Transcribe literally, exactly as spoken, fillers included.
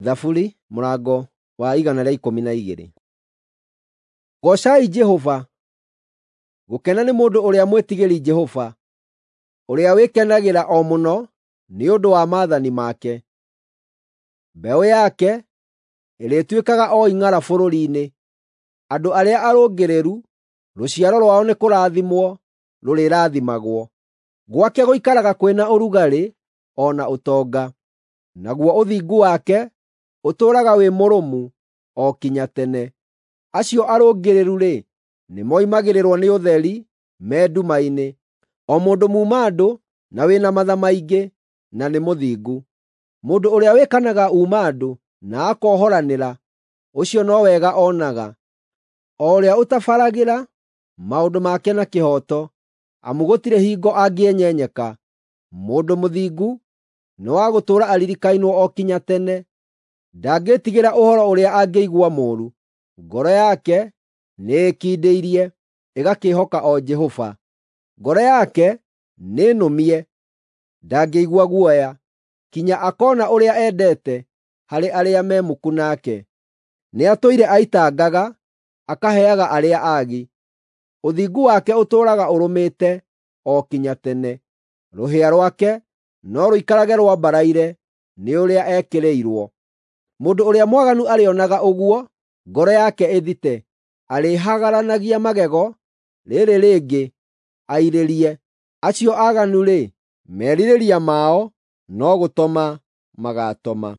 Thaburi mũrango wa igana rĩa ikũmi na igĩrĩ. Goocai Jehova. Gũkena nĩ mũndũ ũrĩa mwĩtigĩri Jehova, ũrĩa wĩkenagĩra o mũno nĩ ũndũ wa maathani make. Mbeũ yake ĩrĩtuĩkaga o ing'ara bũrũri-inĩ, andũ arĩa arũngĩrĩru rũciaro rwao nĩ kũrathimwo rũrĩrathimagwo. Gwake gũikaraga kwĩna ũrugarĩ o na ũtonga, naguo ũthingu wake ũtũũraga wĩ mũrũmu o kinya tene. Acio arũngĩrĩru-rĩ, nĩmoimagĩrĩrwo nĩ ũtheri me nduma-inĩ, o mũndũ muuma-andũ na wĩna matha maingĩ na nĩ mũthingu. Mũndũ ũrĩa wĩkanaga uuma-andũ na akohoranĩra, ũcio no wega onaga, o ũrĩa ũtabaragĩra maũndũ make na kĩhooto, amu gũtirĩ hingo angĩenyenyeka. Mũndũ mũthingu nĩ wa gũtũũra aririkainwo o kinya tene, ndangĩĩtigĩra ũhoro ũrĩa angĩigua mũũru. Ngoro yake nĩĩkindĩirie, ĩgakĩĩhoka o Jehova. Ngoro yake nĩnũmie, ndangĩigua guoya, kinya akoona ũrĩa endete harĩ arĩa me muku nake. Nĩatũire aitangaga, akaheaga arĩa aagi. Ũthingu wake ũtũũraga ũrũmĩte o kinya tene, rũhĩa rwake no rũikarage rwambaraire nĩ ũrĩa ekĩrĩirwo. Mũndũ ũrĩa mwaganu arĩonaga ũguo, ngoro yake ĩthite, arĩhagaranagia magego, rĩrĩ rĩngĩ airĩrie. Acio aaganu-rĩ, merirĩria mao no gũtoma magaatoma.